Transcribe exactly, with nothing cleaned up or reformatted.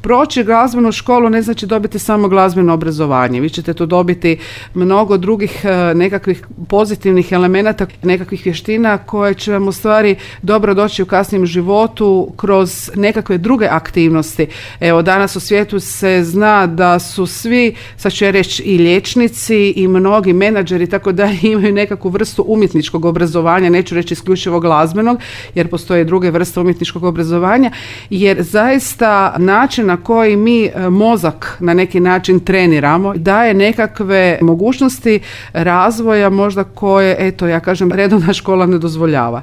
proći glazbenu školu ne znači dobiti samo glazbeno obrazovanje. Vi ćete tu dobiti mnogo drugih nekakvih pozitivnih elemenata, nekakvih vještina koje će vam u stvari dobro doći u kasnijem životu kroz nekakve druge aktivnosti. Evo, danas u svijetu se zna da su svi, sad ću ja reći, i liječnici i mnogi menadžeri tako da imaju nekakvu vrstu umjetničkog obrazovanja, neću reći isključivo glazbenog, jer postoje druge vrste umjetničkog obrazovanja, jer zaista način na koji mi mozak na neki način treniramo daje nekakve mogućnosti razvoja možda koje, eto, ja kažem, redovna škola ne dozvoljava.